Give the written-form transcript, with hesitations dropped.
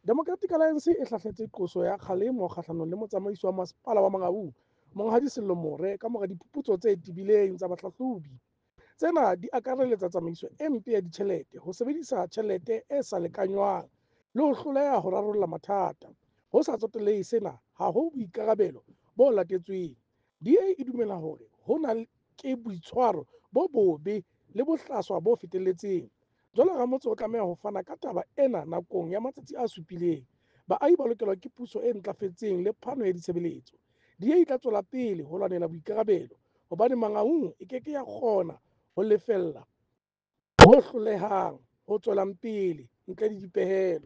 Democratic Alliance e hlahletse qoso ya kgalemo kgahlanong le motsamaisi wa masepala wa Mangaung, Monghadi Sello More, kamora diphuputso tse tebileng tsa bahlahlobi. Tsena di akareletsa tsamaiso e mpe ya ditjhelete, ho sebedisa tjhelete e sa lekanngwang, le ho hloleha ho rarolla mathata. Ho sa tsotellehe sena, ha ho boikarabelo bo latetsweng. DA e dumela hore hona ke boitshwaro bo bobe le bohlaswa bo fetelletseng. Jwale ramotse o tlameha ho fana ka taba ena nakong ya matsatsi a supileng. Baahi ba lokelwa ke puso e ntlafetseng le phano ya ditshebeletso. DA e tla tswela pele ho lwanela boikarabelo hobane Mangaung e ke ke ya kgona ho lefella ho hlolehang ho tswelang pele ntle le dipehelo.